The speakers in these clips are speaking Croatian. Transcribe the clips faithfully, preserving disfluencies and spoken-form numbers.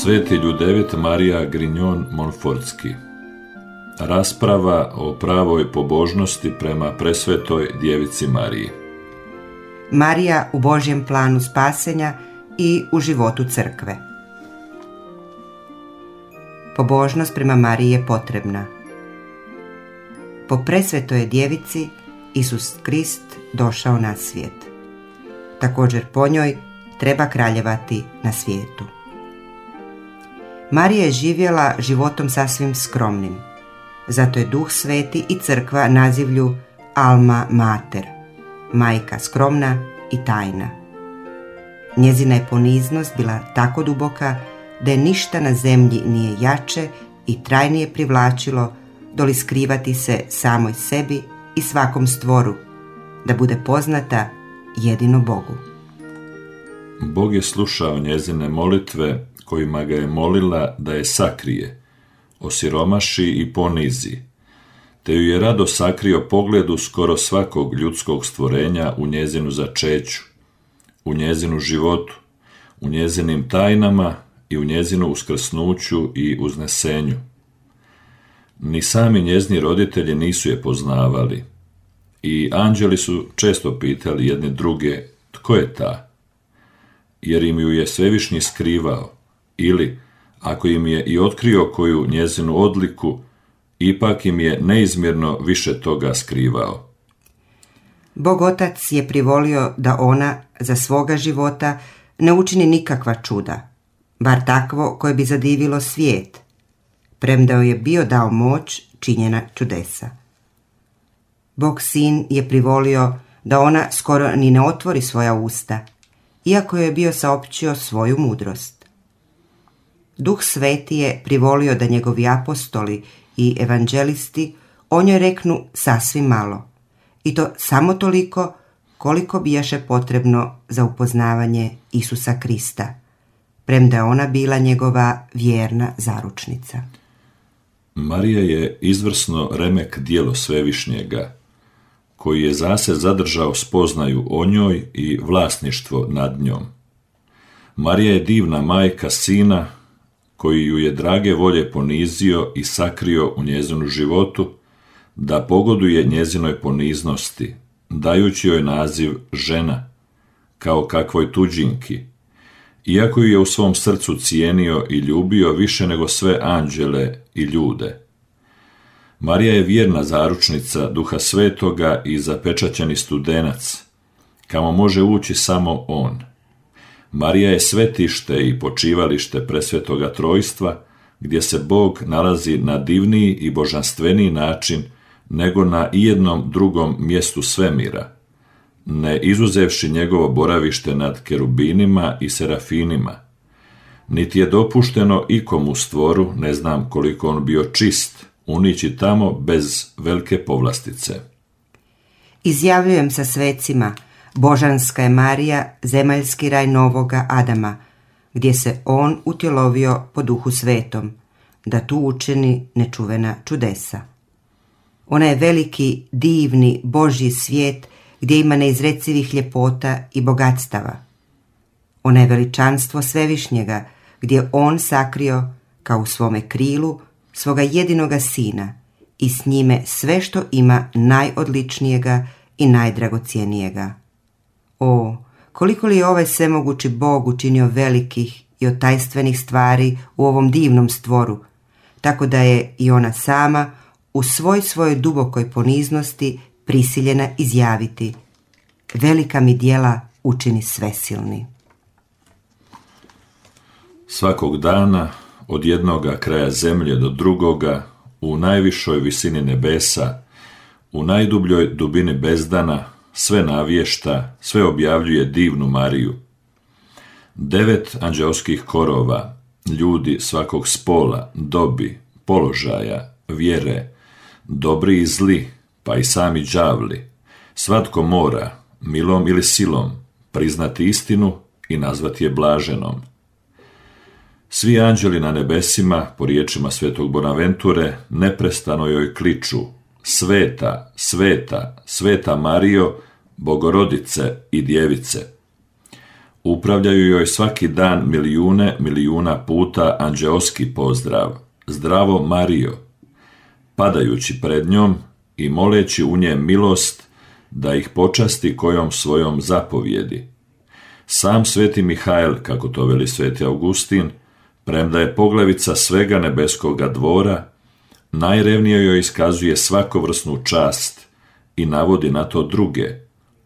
Sveti Ljudevit Marija Grignon Montfortski. Rasprava o pravoj pobožnosti prema presvetoj djevici Mariji. Marija u Božjem planu spasenja i u životu crkve. Pobožnost prema Mariji je potrebna. Po presvetoj djevici Isus Krist došao na svijet. Također po njoj treba kraljevati na svijetu. Marija je živjela životom sasvim skromnim. Zato je Duh Sveti i crkva nazivlju Alma Mater, majka skromna i tajna. Njezina je poniznost bila tako duboka da je ništa na zemlji nije jače i trajnije privlačilo doli skrivati se samoj sebi i svakom stvoru, da bude poznata jedino Bogu. Bog je slušao njezine molitve kojima ga je molila da je sakrije, osiromaši i ponizi, te ju je rado sakrio pogledu skoro svakog ljudskog stvorenja u njezinu začeću, u njezinu životu, u njezinim tajnama i u njezinu uskrsnuću i uznesenju. Ni sami njezini roditelji nisu je poznavali i anđeli su često pitali jedni druge tko je ta, jer im ju je svevišnji skrivao, ili ako im je i otkrio koju njezinu odliku, ipak im je neizmjerno više toga skrivao. Bog Otac je privolio da ona za svoga života ne učini nikakva čuda, bar takvo koje bi zadivilo svijet, premda joj je bio dao moć činjena čudesa. Bog Sin je privolio da ona skoro ni ne otvori svoja usta, iako je bio saopćio svoju mudrost. Duh Sveti je privolio da njegovi apostoli i evanđelisti o njoj reknu sasvim malo, i to samo toliko koliko bijaše potrebno za upoznavanje Isusa Krista, premda je ona bila njegova vjerna zaručnica. Marija je izvrsno remek djelo Svevišnjega, koji je zase zadržao spoznaju o njoj i vlasništvo nad njom. Marija je divna majka Sina, koji ju je drage volje ponizio i sakrio u njezinu životu, da pogoduje njezinoj poniznosti, dajući joj naziv žena, kao kakvoj tuđinki, iako ju je u svom srcu cijenio i ljubio više nego sve anđele i ljude. Marija je vjerna zaručnica Duha Svetoga i zapečaćeni studenac, kamo može ući samo on. Marija je svetište i počivalište presvetoga trojstva, gdje se Bog nalazi na divniji i božanstveniji način nego na ijednom drugom mjestu svemira, ne izuzevši njegovo boravište nad kerubinima i serafinima. Niti je dopušteno ikomu stvoru, ne znam koliko on bio čist, unići tamo bez velike povlastice. Izjavljujem sa svecima, božanska je Marija, zemaljski raj novoga Adama, gdje se on utjelovio po Duhu Svetom, da tu učini nečuvena čudesa. Ona je veliki, divni, Božji svijet gdje ima neizrecivih ljepota i bogatstava. Ona je veličanstvo Svevišnjega, gdje on sakrio, kao u svome krilu, svoga jedinoga Sina i s njime sve što ima najodličnijega i najdragocijenijega. O, koliko li je ovaj svemogući Bog učinio velikih i otajstvenih stvari u ovom divnom stvoru, tako da je i ona sama u svoj svojoj dubokoj poniznosti prisiljena izjaviti: velika mi djela učini svesilni. Svakog dana, od jednoga kraja zemlje do drugoga, u najvišoj visini nebesa, u najdubljoj dubini bezdana, sve navješta, sve objavljuje divnu Mariju. Devet anđeoskih korova, ljudi svakog spola, dobi, položaja, vjere, dobri i zli, pa i sami đavli, svatko mora, milom ili silom, priznati istinu i nazvati je blaženom. Svi anđeli na nebesima, po riječima svetog Bonaventure, neprestano joj kliču: sveta, sveta, sveta Marijo, Bogorodice i djevice. Upravljaju joj svaki dan milijune milijuna puta anđeoski pozdrav, zdravo Marijo, padajući pred njom i moleći u nje milost da ih počasti kojom svojom zapovjedi. Sam sveti Mihael, kako to veli sveti Augustin, premda je poglavica svega nebeskoga dvora, najrevnije joj iskazuje svakovrsnu čast i navodi na to druge,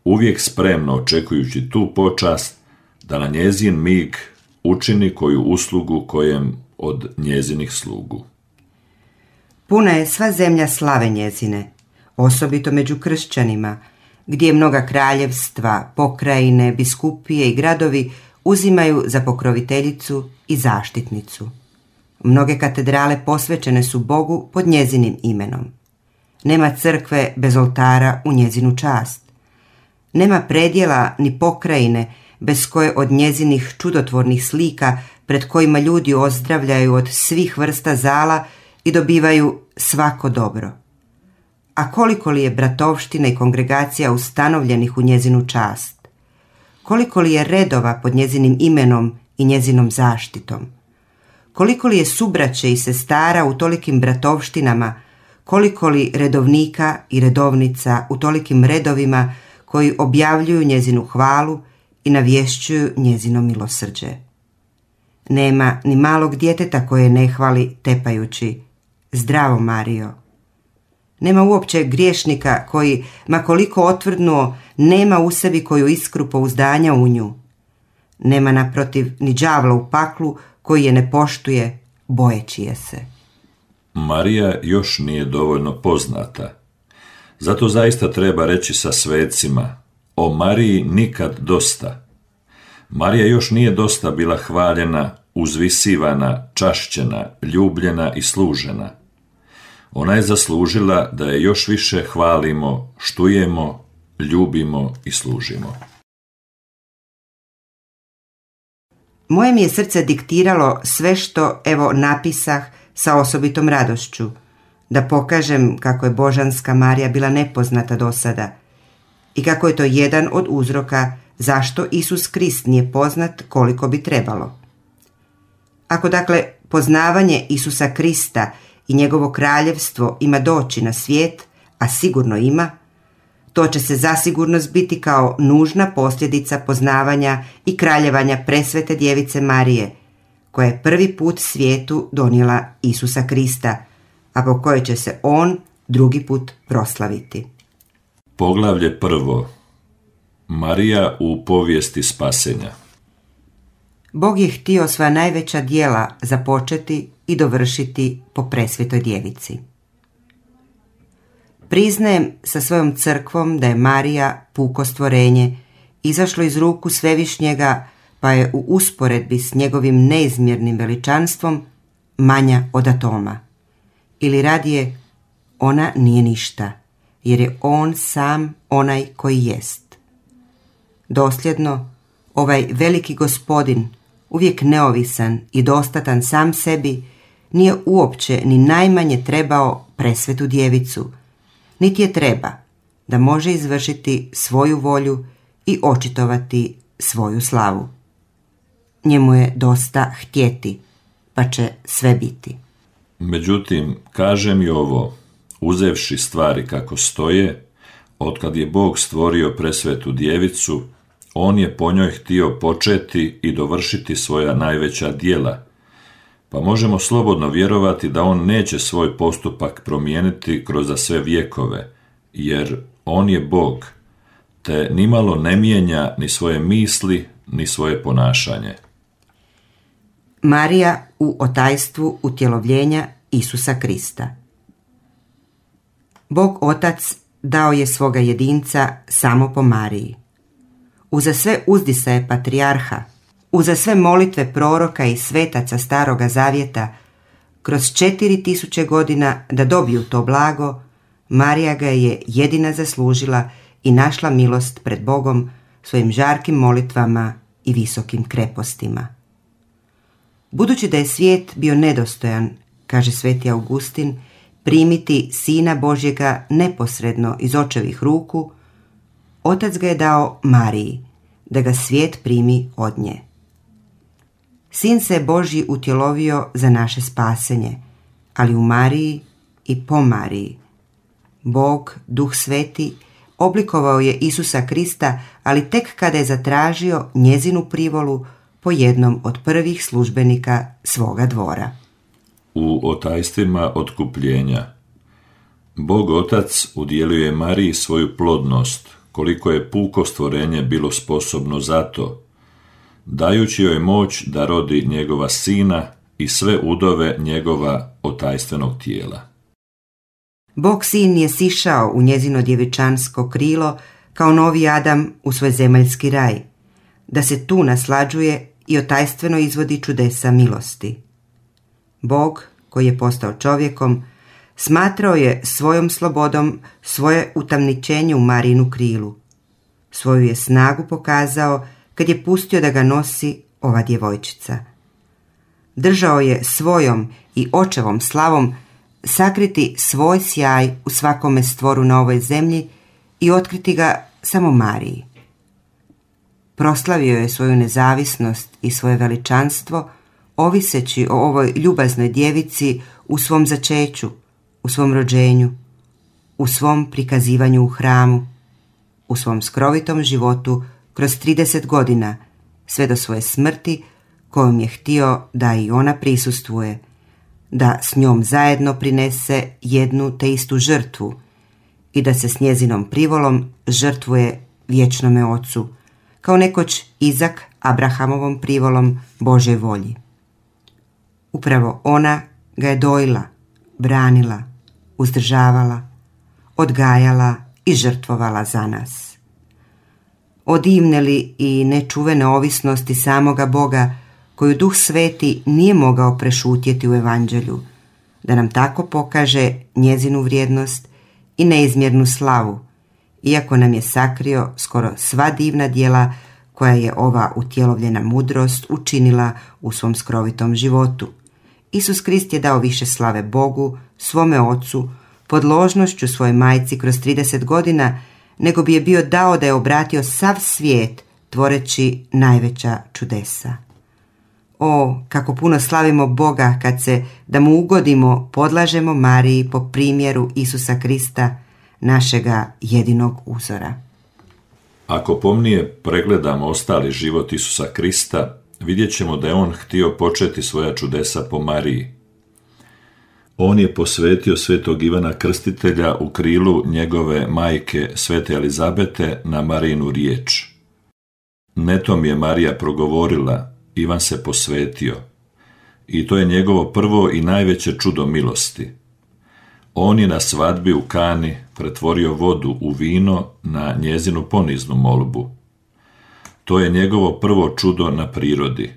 uvijek spremno očekujući tu počast da na njezin mig učini koju uslugu kojem od njezinih slugu. Puna je sva zemlja slave njezine, osobito među kršćanima, gdje mnoga kraljevstva, pokrajine, biskupije i gradovi uzimaju za pokroviteljicu i zaštitnicu. Mnoge katedrale posvećene su Bogu pod njezinim imenom. Nema crkve bez oltara u njezinu čast. Nema predjela ni pokrajine bez koje od njezinih čudotvornih slika pred kojima ljudi ozdravljaju od svih vrsta zala i dobivaju svako dobro. A koliko li je bratovština i kongregacija ustanovljenih u njezinu čast? Koliko li je redova pod njezinim imenom i njezinom zaštitom? Koliko li je subraće i sestara u tolikim bratovštinama, koliko li redovnika i redovnica u tolikim redovima koji objavljuju njezinu hvalu i navješćuju njezino milosrđe. Nema ni malog djeteta koje ne hvali tepajući zdravo Marijo. Nema uopće griješnika koji, ma koliko otvrdnuo, nema u sebi koju iskru pouzdanja u nju. Nema naprotiv ni đavla u paklu koji je ne poštuje, bojeći je se. Marija još nije dovoljno poznata. Zato zaista treba reći sa svecima, o Mariji nikad dosta. Marija još nije dosta bila hvaljena, uzvisivana, čašćena, ljubljena i služena. Ona je zaslužila da je još više hvalimo, štujemo, ljubimo i služimo. Moje mi je srce diktiralo sve što, evo, napisah sa osobitom radošću, da pokažem kako je Božanska Marija bila nepoznata do sada i kako je to jedan od uzroka zašto Isus Krist nije poznat koliko bi trebalo. Ako dakle poznavanje Isusa Krista i njegovo kraljevstvo ima doći na svijet, a sigurno ima, to će se zasigurno zbiti kao nužna posljedica poznavanja i kraljevanja presvete djevice Marije, koja je prvi put svijetu donijela Isusa Krista, a po kojoj će se on drugi put proslaviti. Poglavlje prvo. Marija u povijesti spasenja. Bog je htio sva najveća djela započeti i dovršiti po presvetoj djevici. Priznajem sa svojom crkvom da je Marija puko stvorenje, izašlo iz ruku Svevišnjega, pa je u usporedbi s njegovim neizmjernim veličanstvom manja od atoma. Ili radije, ona nije ništa, jer je on sam onaj koji jest. Dosljedno, ovaj veliki gospodin, uvijek neovisan i dostatan sam sebi, nije uopće ni najmanje trebao presvetu djevicu, niti je treba da može izvršiti svoju volju i očitovati svoju slavu. Njemu je dosta htjeti, pa će sve biti. Međutim, kažem i ovo, uzevši stvari kako stoje, otkad je Bog stvorio presvetu djevicu, on je po njoj htio početi i dovršiti svoja najveća djela, pa možemo slobodno vjerovati da on neće svoj postupak promijeniti kroz za sve vjekove, jer on je Bog, te nimalo ne mijenja ni svoje misli, ni svoje ponašanje. Marija u otajstvu utjelovljenja Isusa Krista. Bog Otac dao je svoga jedinca samo po Mariji. Uza sve uzdisaje patrijarha, uza sve molitve proroka i svetaca Staroga Zavjeta, kroz četiri tisuće godina da dobiju to blago, Marija ga je jedina zaslužila i našla milost pred Bogom svojim žarkim molitvama i visokim krepostima. Budući da je svijet bio nedostojan, kaže sveti Augustin, primiti Sina Božjega neposredno iz očevih ruku, Otac ga je dao Mariji, da ga svijet primi od nje. Sin se Božji utjelovio za naše spasenje, ali u Mariji i po Mariji. Bog, Duh Sveti, oblikovao je Isusa Krista, ali tek kada je zatražio njezinu privolu po jednom od prvih službenika svoga dvora. U otajstvima otkupljenja Bog Otac udjelio je Mariji svoju plodnost, koliko je puko stvorenje bilo sposobno za to, dajući joj moć da rodi njegova sina i sve udove njegova otajstvenog tijela. Bog sin je sišao u njezino djevičansko krilo kao novi Adam u svoj zemaljski raj, da se tu naslađuje i otajstveno izvodi čudesa milosti. Bog, koji je postao čovjekom, smatrao je svojom slobodom svoje utamničenje u Marijinu krilu. Svoju je snagu pokazao kad je pustio da ga nosi ova djevojčica. Držao je svojom i očevom slavom sakriti svoj sjaj u svakome stvoru na ovoj zemlji i otkriti ga samo Mariji. Proslavio je svoju nezavisnost i svoje veličanstvo, oviseći o ovoj ljubaznoj djevici u svom začeću, u svom rođenju, u svom prikazivanju u hramu, u svom skrovitom životu kroz trideset godina, sve do svoje smrti kojom je htio da i ona prisustvuje, da s njom zajedno prinese jednu te istu žrtvu i da se s njezinom privolom žrtvuje vječnome Ocu, kao nekoć Izak Abrahamovom privolom Božoj volji. Upravo ona ga je dojila, branila, uzdržavala, odgajala i žrtvovala za nas. O divne li i nečuvene ovisnosti samoga Boga, koju Duh Sveti nije mogao prešutjeti u Evanđelju, da nam tako pokaže njezinu vrijednost i neizmjernu slavu, iako nam je sakrio skoro sva divna djela koja je ova utjelovljena mudrost učinila u svom skrovitom životu. Isus Krist je dao više slave Bogu, svome Ocu, podložnošću svoje majci kroz trideset godina, nego bi je bio dao da je obratio sav svijet, tvoreći najveća čudesa. O, kako puno slavimo Boga kad se, da mu ugodimo, podlažemo Mariji po primjeru Isusa Krista, našega jedinog uzora. Ako pomnije pregledamo ostali život Isusa Krista, vidjet ćemo da je on htio početi svoja čudesa po Mariji. On je posvetio svetog Ivana Krstitelja u krilu njegove majke svete Elizabete na Marijinu riječ. Netom je Marija progovorila, Ivan se posvetio. I to je njegovo prvo i najveće čudo milosti. On je na svadbi u Kani pretvorio vodu u vino na njezinu poniznu molbu. To je njegovo prvo čudo na prirodi.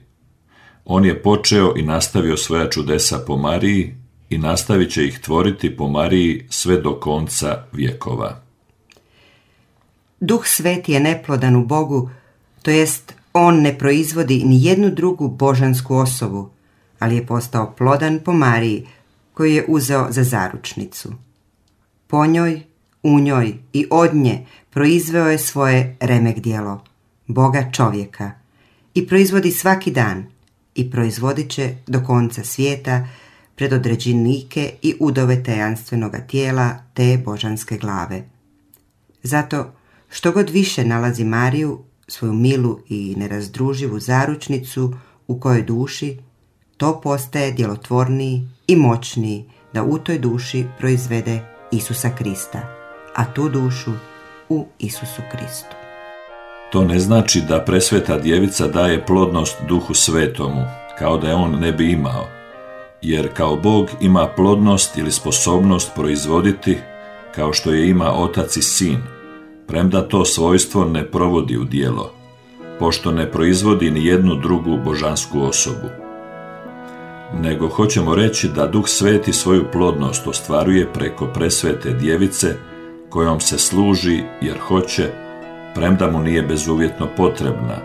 On je počeo i nastavio svoja čudesa po Mariji i nastavit će ih tvoriti po Mariji sve do konca vjekova. Duh Sveti je neplodan u Bogu, to jest on ne proizvodi ni jednu drugu božansku osobu, ali je postao plodan po Mariji, koju je uzeo za zaručnicu. Po njoj, u njoj i od nje proizveo je svoje remek djelo, Boga čovjeka, i proizvodi svaki dan i proizvodit će do konca svijeta predodređenike i udove tajanstvenoga tijela te božanske glave. Zato što god više nalazi Mariju, svoju milu i nerazdruživu zaručnicu u kojoj duši, to postaje djelotvorniji i moćniji da u toj duši proizvede Isusa Krista, a tu dušu u Isusu Kristu. To ne znači da presveta djevica daje plodnost Duhu Svetomu, kao da je on ne bi imao, jer kao Bog ima plodnost ili sposobnost proizvoditi, kao što je ima Otac i Sin, premda to svojstvo ne provodi u djelo, pošto ne proizvodi ni jednu drugu božansku osobu. Nego hoćemo reći da Duh Sveti svoju plodnost ostvaruje preko presvete djevice, kojom se služi jer hoće, premda mu nije bezuvjetno potrebna,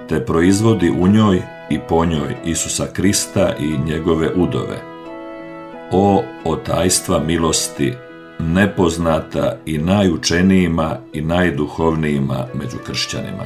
te proizvodi u njoj i po njoj Isusa Krista i njegove udove. O otajstva milosti, nepoznata i najučenijima i najduhovnijima među kršćanima.